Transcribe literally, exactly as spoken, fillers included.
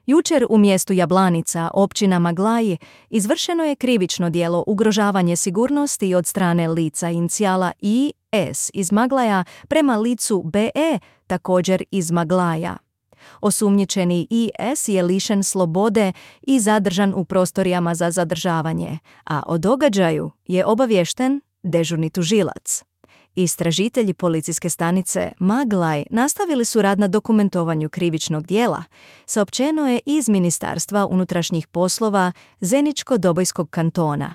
Jučer u mjestu Jablanica, općina Maglaji, izvršeno je krivično djelo ugrožavanje sigurnosti od strane lica inicijala I S iz Maglaja prema licu B E, također iz Maglaja. Osumnjičeni I S je lišen slobode i zadržan u prostorijama za zadržavanje, a o događaju je obaviješten dežurni tužilac. Istražitelji policijske stanice Maglaj nastavili su rad na dokumentovanju krivičnog djela, saopćeno je iz Ministarstva unutrašnjih poslova Zeničko-Dobojskog kantona.